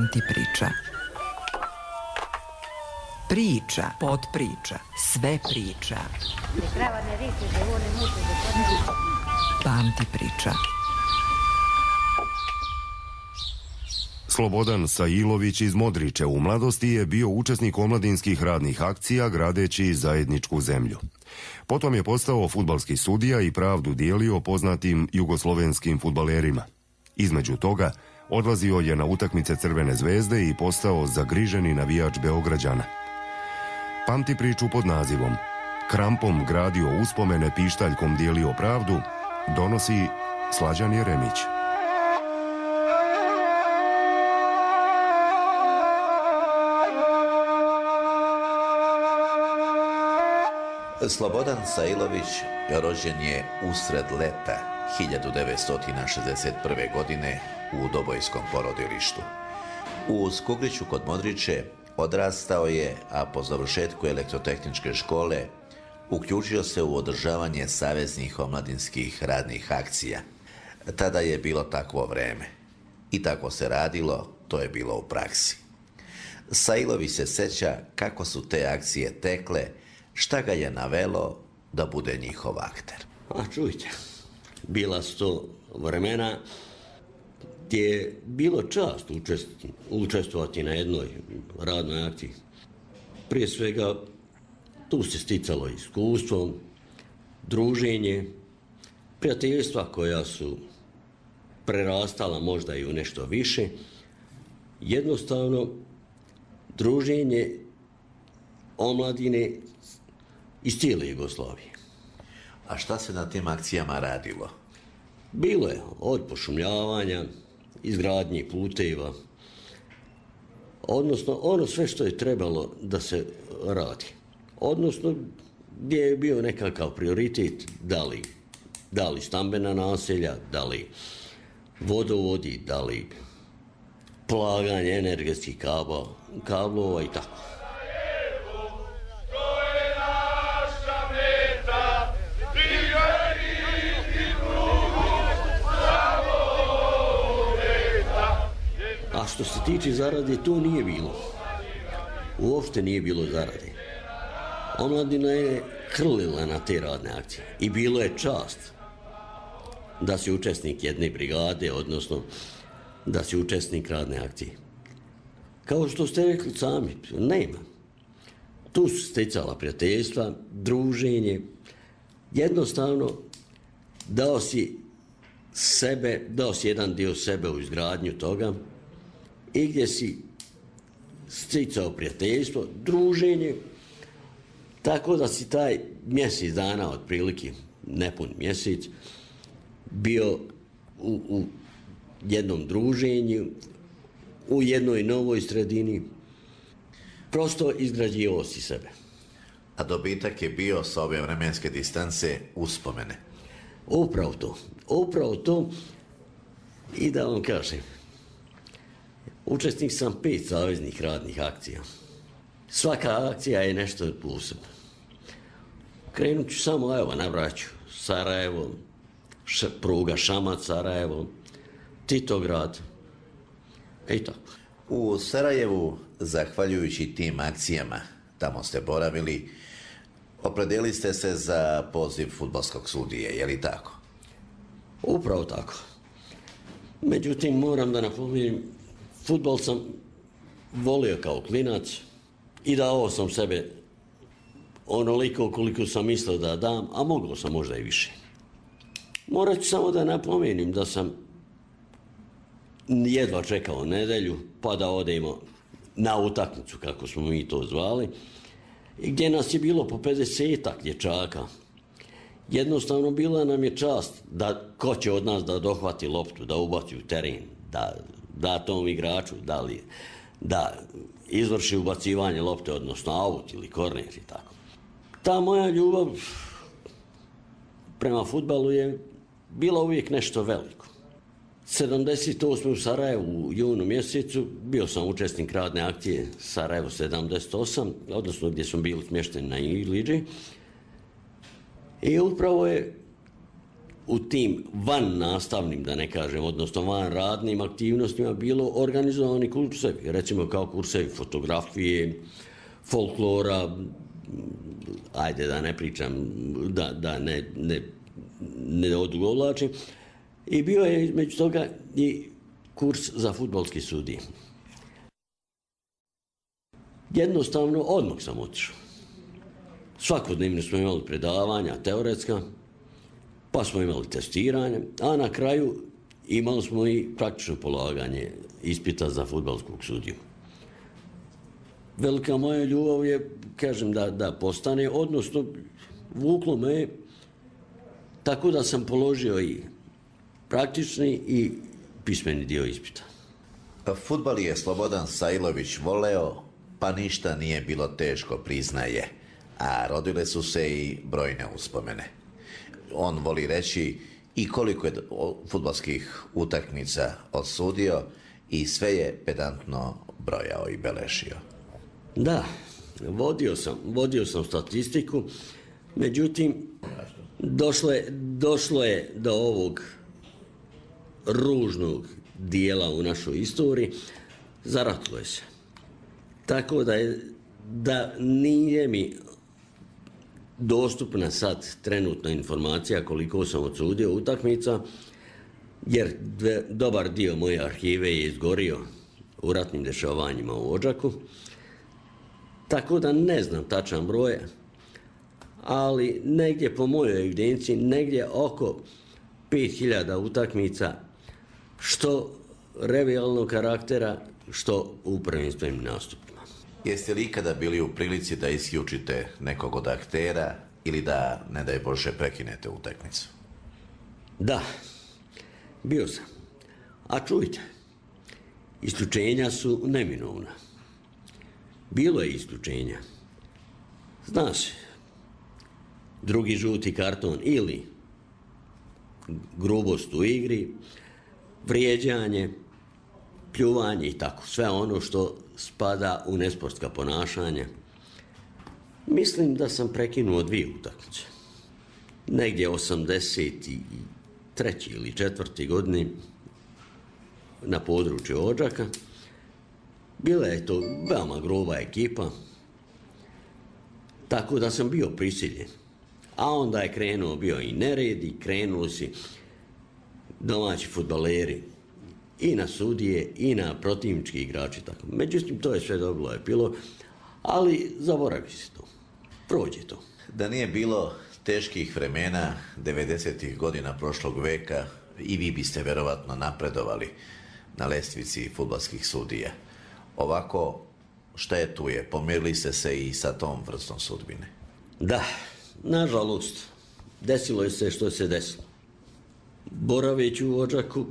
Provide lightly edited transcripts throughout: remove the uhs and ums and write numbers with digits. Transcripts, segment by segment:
Pamti priča. Priča, podpriča, sve priča. Pamti priča. Slobodan Sailović iz Modriče u mladosti je bio učesnik omladinskih radnih akcija gradeći zajedničku zemlju. Potom je postao fudbalski sudija i pravdu dijelio poznatim jugoslovenskim fudbalerima. Između toga odlazio je na utakmice Crvene zvezde i postao zagriženi navijač Beograđana. Pamti priču pod nazivom Krampom gradio uspomene, pištaljkom dijelio pravdu, donosi Slađan Jeremić. Slobodan Sailović rođen je usred leta 1961. godine u Dobojskom porodilištu. U Skugliću kod Modriče odrastao je, a po završetku elektrotehničke škole uključio se u održavanje saveznih omladinskih radnih akcija. Tada je bilo takvo vreme. I tako se radilo, to je bilo u praksi. Sailović se seća kako su te akcije tekle, šta ga je navelo da bude njihov akter. A čujte, bila su to vremena gdje je bilo čast učestvovati na jednoj radnoj akciji. Prije svega, tu se sticalo iskustvo, druženje, prijateljstva koja su prerastala možda i u nešto više. Jednostavno, druženje omladine iz cijele Jugoslavije. A šta se na tim akcijama radilo? Bilo je od pošumljavanja, izgradnje puteva, odnosno ono sve što je trebalo da se radi. Odnosno gdje je bio nekakav prioritet, da li stambena naselja, da li vodovodi, da li plaganje energetskih kablova i tako. A što se tiče zarade, to nije bilo. Uopšte nije bilo zarade. Omladina je hrlila na te radne akcije. I bilo je čast da si učesnik jedne brigade, odnosno da si učesnik radne akcije. Kao što ste rekli sami, nema. Tu su stecala prijateljstva, druženje. Jednostavno, dao si jedan dio sebe u izgradnju toga i gdje si sticao prijateljstvo, druženje, tako da si taj mjesec dana, otprilike nepun mjesec, bio u jednom druženju, u jednoj novoj sredini, prosto izgrađivao si sebe. A dobitak je bio sa ove vremenske distance uspomene. Upravo to. I da vam kažem, učesnik sam 5 saveznih radnih akcija. Svaka akcija je nešto posebno. Krenut ću samo, evo, nabrać ću Sarajevo, pruga Šamac-Sarajevo, Titograd, i tako. U Sarajevu, zahvaljujući tim akcijama, tamo ste boravili, opredijelili ste se za poziv fudbalskog sudije, je li tako? Upravo tako. Međutim, moram da napomenem, fudbal sam volio kao klinac i dao sam sebe onoliko koliko sam mislio da dam, a moglo sam možda i više. Morat ću samo da napomenem da sam jedva čekao nedelju, pa da odemo na utakmicu, kako smo mi to zvali, gdje nas je bilo po 50-ak dječaka. Jednostavno bila nam je čast da ko će od nas da dohvati loptu, da ubaci u teren, da tom igraču, da izvrši ubacivanje lopte, odnosno aut ili korner i tako. Ta moja ljubav prema fudbalu je bila uvijek nešto veliko. 78. u Sarajevu u junu mjesecu bio sam učesnik radne akcije Sarajevo 78, odnosno gdje smo bili smješteni na Iliđi. I upravo je u tim van nastavnim, da ne kažem, odnosno van radnim aktivnostima bilo organizovani kursevi, recimo kao kursevi fotografije, folklora, ajde da ne pričam, da ne odugovlačim. I bio je između toga i kurs za fudbalske sudije. Jednostavno, odmah sam otišao. Svakodnevno smo imali predavanja, teoretska, pa smo imali testiranje, a na kraju imali smo i praktično polaganje ispita za fudbalskog sudiju. Velika moja ljubav je, kažem, da postane, odnosno vuklo me tako da sam položio i praktični i pismeni dio ispita. Fudbal je Slobodan Sajlović voleo, pa ništa nije bilo teško, priznaje, a rodile su se i brojne uspomene. On voli reći i koliko je fudbalskih utakmica odsudio i sve je pedantno brojao i beležio. Da, vodio sam statistiku, međutim, došlo je do ovog ružnog dijela u našoj istoriji, zaratilo je se. Tako da nije mi dostupna sad trenutna informacija koliko sam odsudio utakmica, jer dobar dio moje arhive je izgorio u ratnim dešavanjima u Odžaku. Tako da ne znam tačan broj, ali negdje po mojoj evidenciji, negdje oko 5000 utakmica, što revijalnog karaktera, što u prvenstvenim nastupima. Jeste li ikada bili u prilici da isključite nekog od aktera ili da, ne daj Bože, prekinete utakmicu? Da, bio sam. A čujte, isključenja su neminovna. Bilo je isključenja. Zna se, drugi žuti karton ili grubost u igri, vrijeđanje, pljuvanje i tako. Sve ono što spada u nesportska ponašanja. Mislim da sam prekinuo 2 utakmice. Negdje 83. ili 4. godini na području Odžaka. Bila je to veoma gruba ekipa, tako da sam bio prisiljen. A onda je bio i nered i krenuli si domaći fudbaleri i na sudije i na protivnički igrači. Tako. Međutim, to je sve dobilo epilog, ali zaboravi se to. Prođe to. Da nije bilo teških vremena 90. godina prošlog veka, i vi biste verovatno napredovali na lestvici fudbalskih sudija. Ovako, šta je tu je? Pomirili ste se i sa tom vrstom sudbine? Da, nažalost, desilo je se što se desilo. Boraveći u Odžaku,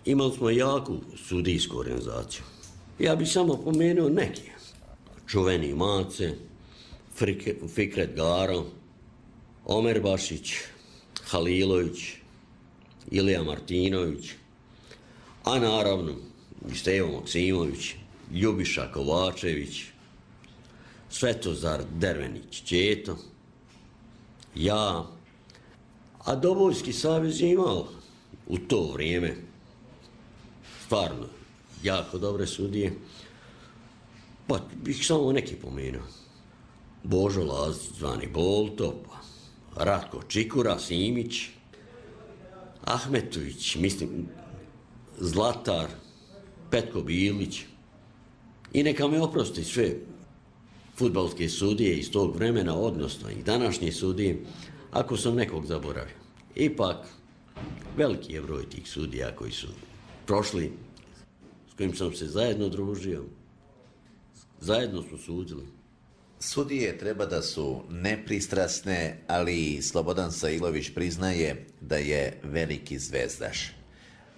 imali smo jaku sudijsku organizaciju. Ja bih samo pomenuo neke. Čuveni Mace, Fikret Garo, Omer Bašić, Halilović, Ilija Martinović, a naravno i Stevo Maksimović, Ljubiša Kovačević, Svetozar Dervenić Četo, ja, a Dobojski savez je imao u to vrijeme stvarno jako dobre sudije, pa bih samo neki pomenuo. Božo Lazić, zvani Bolto, Ratko Čikura, Simić, Ahmetović, mislim, Zlatar, Petko Bilić, i neka me oprosti sve fudbalske sudije iz tog vremena, odnosno i današnje sudije, ako sam nekog zaboravio. Ipak, veliki je broj tih sudija koji su prošli, s kojim sam se zajedno družio, zajedno smo sudili. Sudije treba da su nepristrasne, ali Slobodan Sajlović priznaje da je veliki zvezdaš.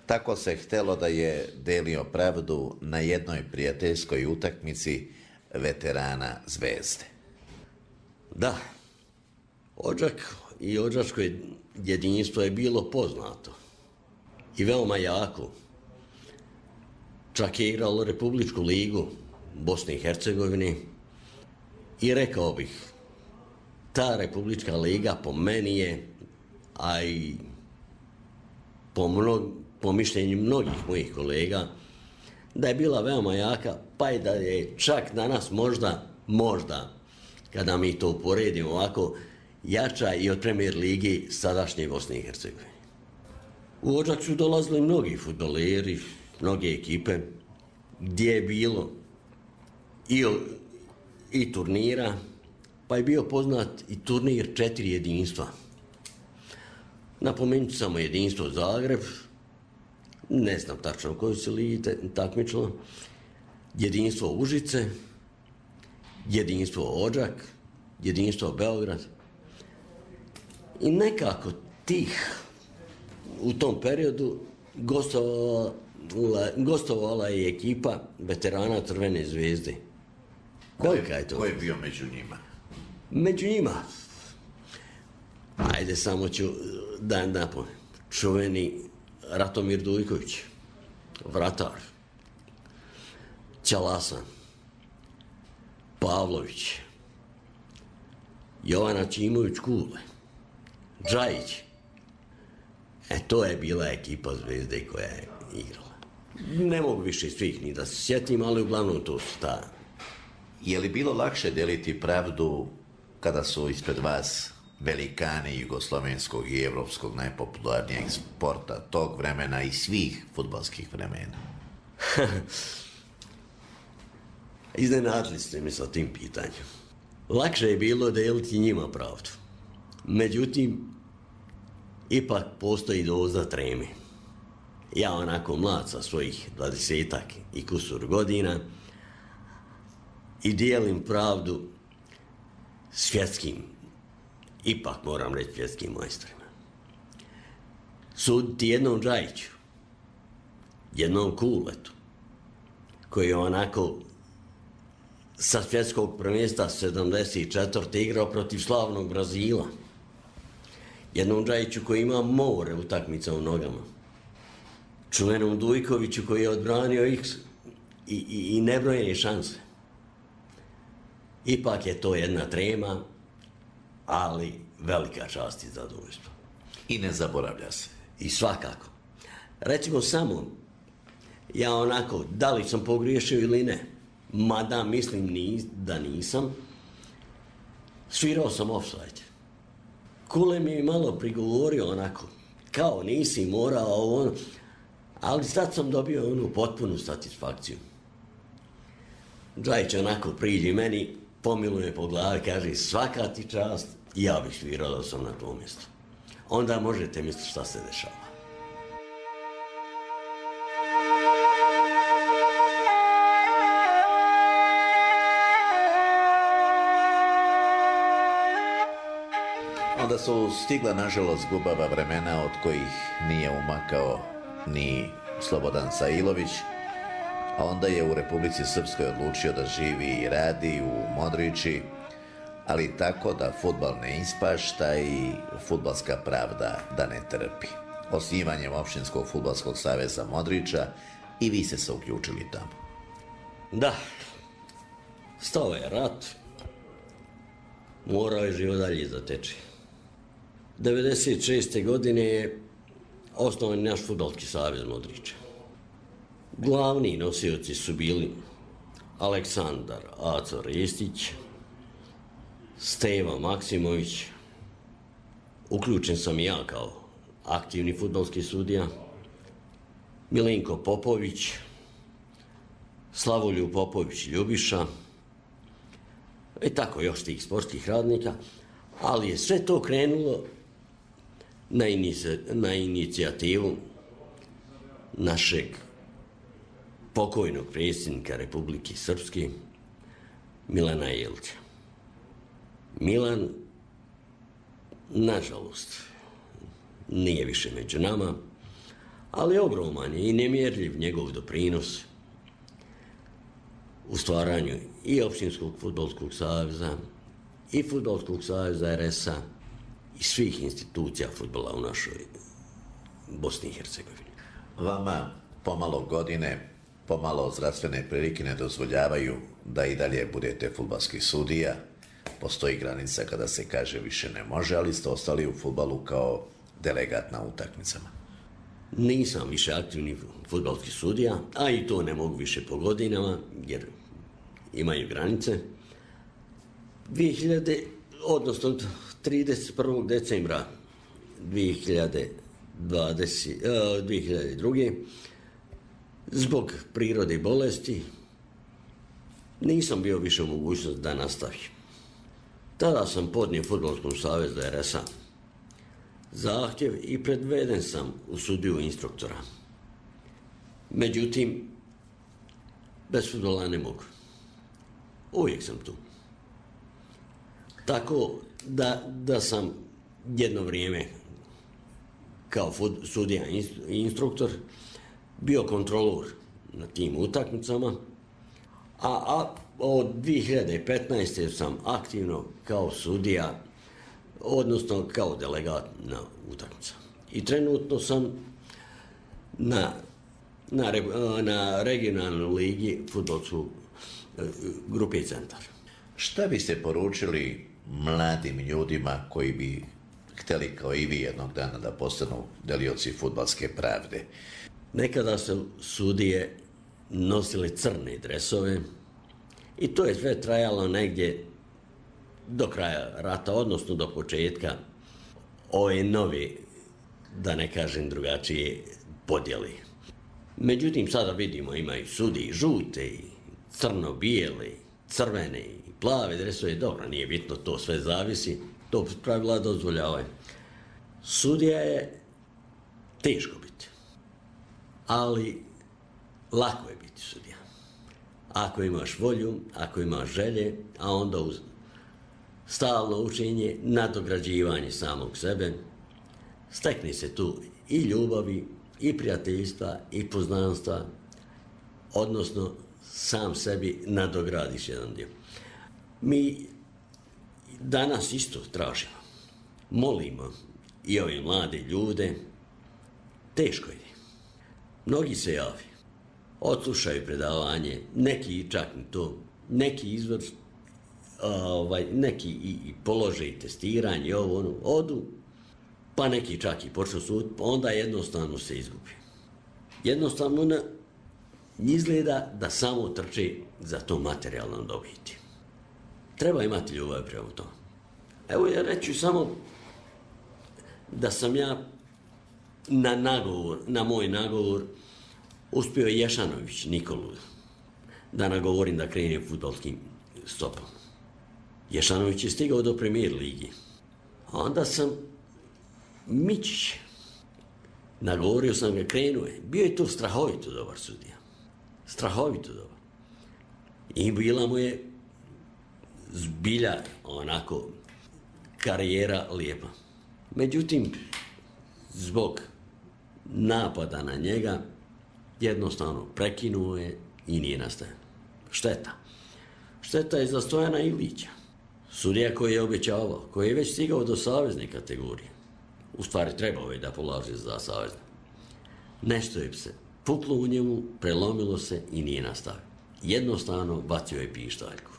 Tako se htelo da je delio pravdu na jednoj prijateljskoj utakmici veterana Zvezde. Da, Odžak i odžačko jedinstvo je bilo poznato i veoma jako. Čak je igralo Republičku ligu Bosne i Hercegovine i rekao bih, ta Republička liga po meni je, a i po mišljenju mnogih mojih kolega, da je bila veoma jaka, pa i da je čak danas možda, kada mi to uporedimo ovako, jača i od Premier ligi sadašnje Bosne i Hercegovine. U Odžak su dolazili mnogi fudbaleri, mnoge ekipe, gdje je bilo i turnira, pa je bio poznat i turnir 4 jedinstva. Napomenut ću samo jedinstvo Zagreb, ne znam tačno koju se ligi takmičilo, jedinstvo Užice, jedinstvo Odžak, jedinstvo Beograd. I nekako u tom periodu gostovala je ekipa veterana Crvene zvezde. Kolika je to? Ko je bio među njima? Među njima, ajde samo ću da napomenem, čuveni Ratomir Dujković, vratar, Ćalasan, Pavlović, Jovana Ćimović Kule, Džajić. To je bila ekipa Zvezde koja je igrala. Ne mogu više svih ni da se sjetim, ali uglavnom to su ta. Je li bilo lakše deliti pravdu kada su ispred vas velikani jugoslovenskog i evropskog najpopularnijeg sporta tog vremena i svih fudbalskih vremena? Iznenadili ste mi sa tim pitanjem. Lakše je bilo deliti njima pravdu. Međutim, ipak postoji doza treme. Ja onako mlad sa svojih 20-ak i kusur godina i dijelim pravdu svjetskim, ipak moram reći svjetskim majstorima. Suditi jednom Džajiću, jednom Kuletu, koji je onako sa svjetskog prvenstva 74. igrao protiv slavnog Brazila. Jednom Džajiću koji ima more utakmica u nogama. Čuvenom Dujkoviću koji je odbranio ih i nebrojene šanse. Ipak je to jedna trema, ali velika čast i zadovoljstvo. I ne zaboravlja se. I svakako. Recimo samo, ja onako, da li sam pogriješio ili ne, mada mislim da nisam, svirao sam offside. Kule mi je malo prigovorio onako, kao nisi morao ono, ali sad sam dobio onu potpunu satisfakciju. Džajić onako priđi meni, pomiluje po glavi, kaže svaka ti čast, ja bih svirao da sam na tom mjestu. Onda možete misliti šta se dešava. Onda su stigla, nažalost, gubava vremena od kojih nije umakao ni Slobodan Sailović, a onda je u Republici Srpskoj odlučio da živi i radi u Modriči, ali tako da fudbal ne ispašta i fudbalska pravda da ne trpi. Osnivanjem Opštinskog fudbalskog saveza Modriča i vi ste se uključili tamo. Da, stao je rat, morao je život dalje zateći. 1996. godine je osnovan naš fudbalski savez Modriča. Glavni nosioci su bili Aleksandar Aco Ristić, Steva Maksimović, uključen sam i ja kao aktivni fudbalski sudija, Milenko Popović, Slavoljub Popović Ljubiša i tako još tih sportskih radnika, ali je sve to krenulo na inicijativu našeg pokojnog predsjednika Republike Srpske, Milana Jelića. Milan, nažalost, nije više među nama, ali ogroman je i nemjerljiv njegov doprinos u stvaranju i Opštinskog fudbalskog saveza, i Fudbalskog saveza RS-a, i svih institucija fudbala u našoj Bosni i Hercegovini. Vama pomalo godine, pomalo zdravstvene prilike ne dozvoljavaju da i dalje budete fudbalski sudija. Postoji granica kada se kaže više ne može, ali ste ostali u fudbalu kao delegat na utakmicama. Nisam više aktivni fudbalski sudija, a i to ne mogu više po godinama, jer imaju granice. 31. decembra 2002. zbog prirode i bolesti nisam bio više u mogućnosti da nastavim. Tada sam podnio Fudbalskom savezu RS-a zahtjev i predveden sam u sudiju instruktora. Međutim, bez fudbala ne mogu. Uvijek sam tu. Tako da sam jedno vrijeme kao sudija i instruktor bio kontrolor na tim utakmicama, a od 2015. sam aktivno kao sudija, odnosno kao delegat na utakmicama. I trenutno sam na regionalnoj ligi fudbalsku grupe Centar. Šta biste poručili mladim ljudima koji bi htjeli kao i vi jednog dana da postanu delioci fudbalske pravde? Nekada su sudije nosile crne dresove i to je sve trajalo negdje do kraja rata, odnosno do početka ove nove, da ne kažem drugačije, podjeli. Međutim, sada vidimo imaju sudije žute, crno-bijele, crvene i plave dresove. Dobro, nije bitno, to sve zavisi, to pravila dozvoljavaju. Sudija je teško biti, ali lako je biti sudija. Ako imaš volju, ako imaš želje, a onda uz stalno učenje, nadograđivanje samog sebe, stekne se tu i ljubavi, i prijateljstva, i poznanstva, odnosno sam sebi nadogradiš jedan dio. Mi danas isto tražimo, molimo i ove mlade ljude, teško je. Mnogi se javi, odslušaju predavanje, neki čak i to, neki izvor, neki i polože i testiranje, odu, pa neki čak i počnu sud, pa onda jednostavno se izgubi. Jednostavno izgleda da samo trče za to materijalnom dobiti. Treba imati ljubav prema tome. Evo ja reću samo da sam ja na moj nagovor uspio Ješanović Nikolu da nagovorim da krenem fudbalskim stopom. Ješanović je stigao do Premier ligi. A onda sam Mičić, nagovorio sam ga, krenuo je. Bio je to strahovito dobar sudija. Strahovito dobar. I bila mu je zbilja onako karijera lijepa. Međutim, zbog napada na njega jednostavno prekinuo je i nije nastavio. Šteta. Šteta je za Stojana Ilića, sudija koji je obećavao, koji je već stigao do savezne kategorije. U stvari trebao je da polaže za savezne. Nešto je se puklo u njemu, prelomilo se i nije nastavio. Jednostavno bacio je pištaljku.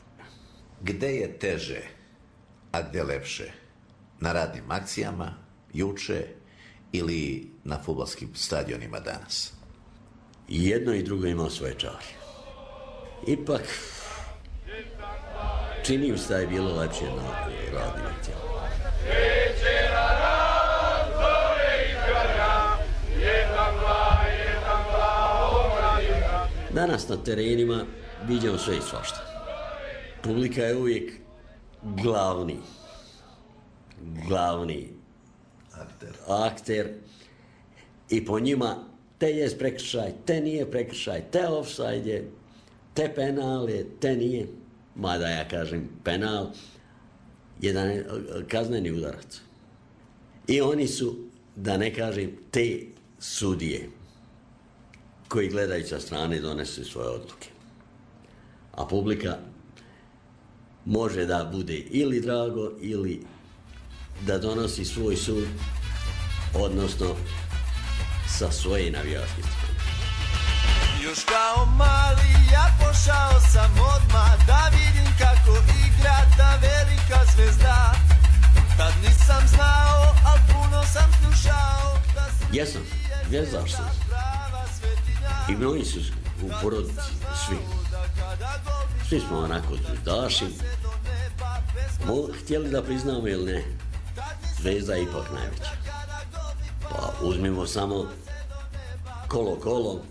Gde je teže, a gde lepše? Na radnim akcijama, juče ili na fudbalskim stadionima danas? I jedno i drugo ima svoje čari. Ipak, čini mi se da je bilo lepše na radnim akcijama. Danas na terenima viđamo sve i svašta. Publika je uvijek glavni akter i po njima te je prekršaj, te nije prekršaj, te ofsajd je, te penal je, te nije. Mada ja kažem penal, jedan kazneni udarac. I oni su, da ne kažem, te sudije koji gledaju sa strane donesu svoje odluke. A publika može da bude ili drago ili da donosi svoj sud, odnosno sa svoje navijačke strane. Još kao mali ja pošao sam odmah da vidim kako igra ta velika zvezda. Tad nisam znao, al puno sam slušao. Jesam, zvezdaš sam. I mnogi su u porodici, svi. Svi smo onako zvezdaši. Htjeli da priznamo ili ne, Zvezda je ipak najveća. Pa uzmimo samo kolo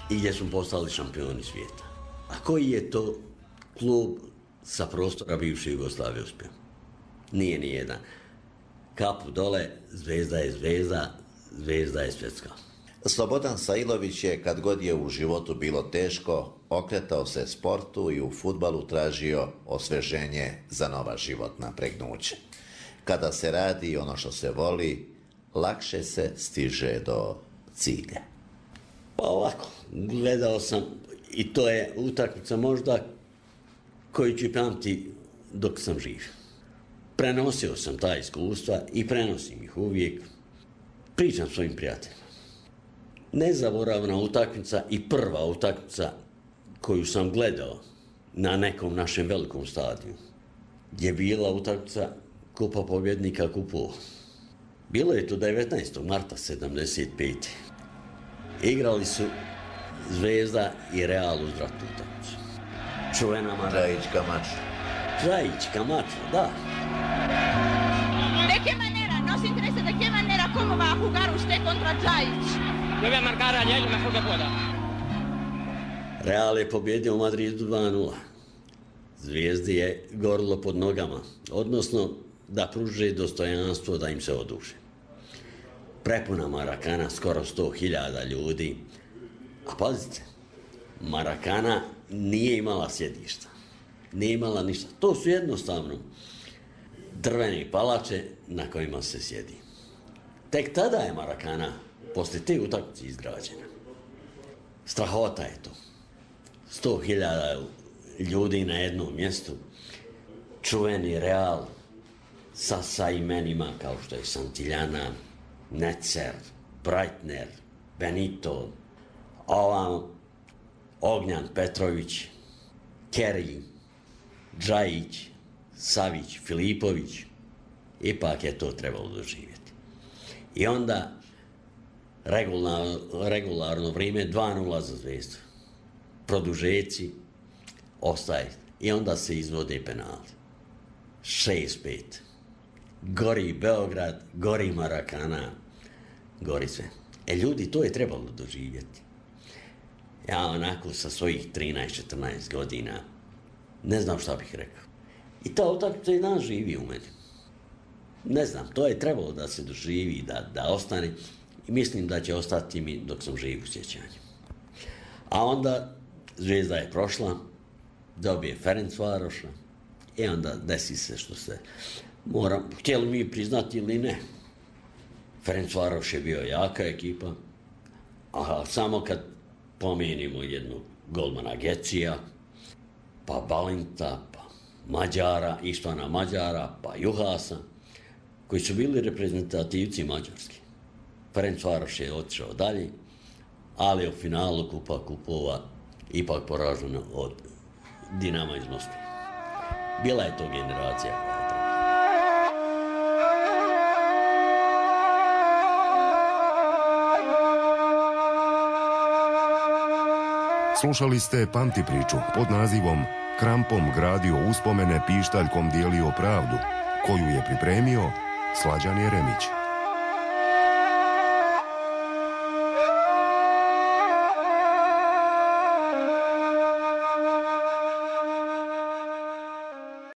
i gdje smo postali šampioni svijeta. A koji je to klub sa prostora bivše Jugoslavije uspio? Nije ni jedan. Kapu dole, Zvezda je Zvezda, Zvezda je svjetska. Slobodan Sailović je, kad god je u životu bilo teško, okretao se sportu i u fudbalu tražio osveženje za nova životna pregnuća. Kada se radi ono što se voli, lakše se stiže do cilja. Pa ovako, gledao sam, i to je utakmica možda koju ću pamti dok sam živ. Prenosio sam ta iskustva i prenosim ih uvijek. Pričam svojim prijateljima. Nezaboravna utakmica i prva utakmica koju sam gledao na nekom našem velikom stadiju je bila utakmica Kupa pobjednika kupova. Bilo je to 19. marta 75. Igrali su Zvezda i Real uz vratnu utakmicu. Čuvena Džajić Kamača, da. ¿De qué manera? Nos interesa de qué manera, cómo va a jugar usted contra Džajić. Yo voy a marcar a él lo mejor que pueda. Real je pobjedio u Madridu 2-0. Zvijezdi je gorilo pod nogama, odnosno da pruže dostojanstvo da im se oduže. Prepuna Marakana, skoro 100.000 ljudi. A pazite, Marakana nije imala sjedišta. Nije imala ništa. To su jednostavno drvene palače na kojima se sjedi. Tek tada je Marakana poslije te utakmice izgrađena. Strahota je to. 100.000 ljudi na jednom mjestu. Čuveni Real sa imenima kao što je Santillana, Netzer, Breitner, Benito, Ognjan Petrović, Kerry, Džajić, Savić, Filipović. Ipak je to trebalo doživjeti. I onda regularno vrijeme 2-0 za Zvezdu. Produžeci, ostaje. I onda se izvode penali. 6-5. Gori Beograd, gori Marakana, gori sve. Ljudi, to je trebalo doživjeti. Ja onako sa svojih 13-14 godina ne znam šta bih rekao. I ta utakmica i danas živi u meni. Ne znam, to je trebalo da se doživi, da ostane. I mislim da će ostati mi dok sam živ u sjećanju. A onda Zvezda je prošla, dobije Ferencvaroša i onda desi se što se htjeli mi priznati ili ne. Ferencvaroš je bio jaka ekipa, a samo kad pomenimo jednog golmana Gecija, pa Balinta, pa Mađara, Ištvana Mađara, pa Juhasa, koji su bili reprezentativci mađarski. Ferencvaroš je otišao dalje, ali u finalu Kupa kupova ipak poražena od Dinama iz Moskve. Bila je to generacija koja je trebala. Slušali ste Pamti priču pod nazivom Krampom gradio uspomene, pištaljkom dijelio pravdu, koju je pripremio Slađan Jeremić.